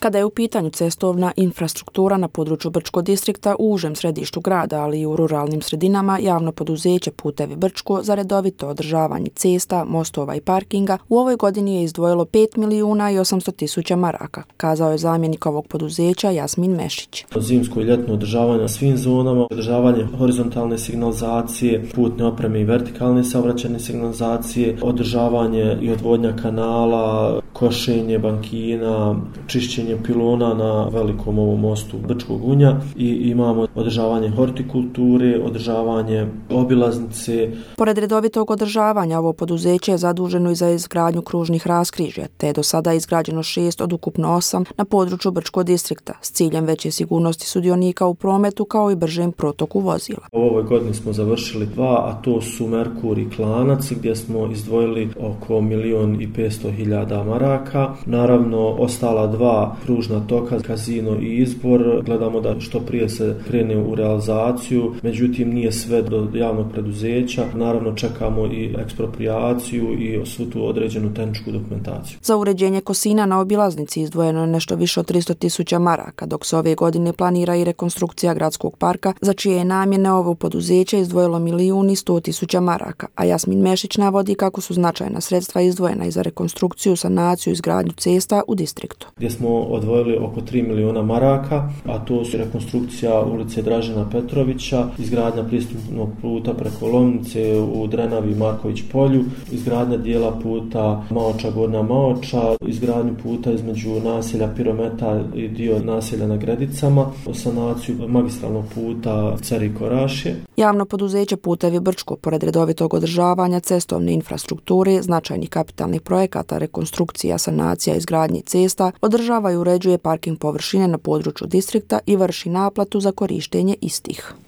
Kada je u pitanju cestovna infrastruktura na području Brčko distrikta u užem središtu grada, ali i u ruralnim sredinama, javno poduzeće Putevi Brčko za redovito održavanje cesta, mostova i parkinga u ovoj godini je izdvojilo 5.800.000 maraka, kazao je zamjenik ovog poduzeća Jasmin Mešić. Zimsko i ljetno održavanje na svim zonama, održavanje horizontalne signalizacije, putne opreme i vertikalne saobraćajne signalizacije, održavanje i odvodnja kanala, košenje bankina, čišćenje pilona na velikom ovom mostu Brčkog Unja i imamo održavanje hortikulture, održavanje obilaznice. Pored redovitog održavanja, ovo poduzeće je zaduženo i za izgradnju kružnih raskrižja, te je do sada izgrađeno 6 od ukupno 8 na području Brčko distrikta s ciljem veće sigurnosti sudionika u prometu kao i bržem protoku vozila. U ovoj godini smo završili 2, a to su Merkur i Klanac gdje smo izdvojili oko 1.500.000 maraka. Naravno, ostala 2 kružna toka, Kazino i Izbor, gledamo da što prije se krene u realizaciju, međutim nije sve do javnog preduzeća. Naravno, čekamo i eksproprijaciju i svu tu određenu tehničku dokumentaciju. Za uređenje kosina na obilaznici izdvojeno je nešto više od 300.000 maraka, dok se ove godine planira i rekonstrukcija gradskog parka, za čije je namjene ovo poduzeće izdvojilo 1.100.000 maraka, a Jasmin Mešić navodi kako su značajna sredstva izdvojena i za rekonstrukciju, sanaciju i izgradnju cesta u distriktu. Gdje smo odvojili oko 3 miliona maraka, a to su rekonstrukcija ulice Dražena Petrovića, izgradnja pristupnog puta preko Lomnice u Drenavi i Marković polju, izgradnja dijela puta Maoča Gornja Maoča, izgradnju puta između naselja Pirometa i dio naselja na Gredicama, sanaciju magistralnog puta Ceri Korašje. Javno poduzeće Putevi Brčko, pored redovitog održavanja cestovne infrastrukture, značajnih kapitalnih projekata, rekonstrukcija, sanacija i izgradnje cesta, održava i uređuje parking površine na području distrikta i vrši naplatu za korištenje istih.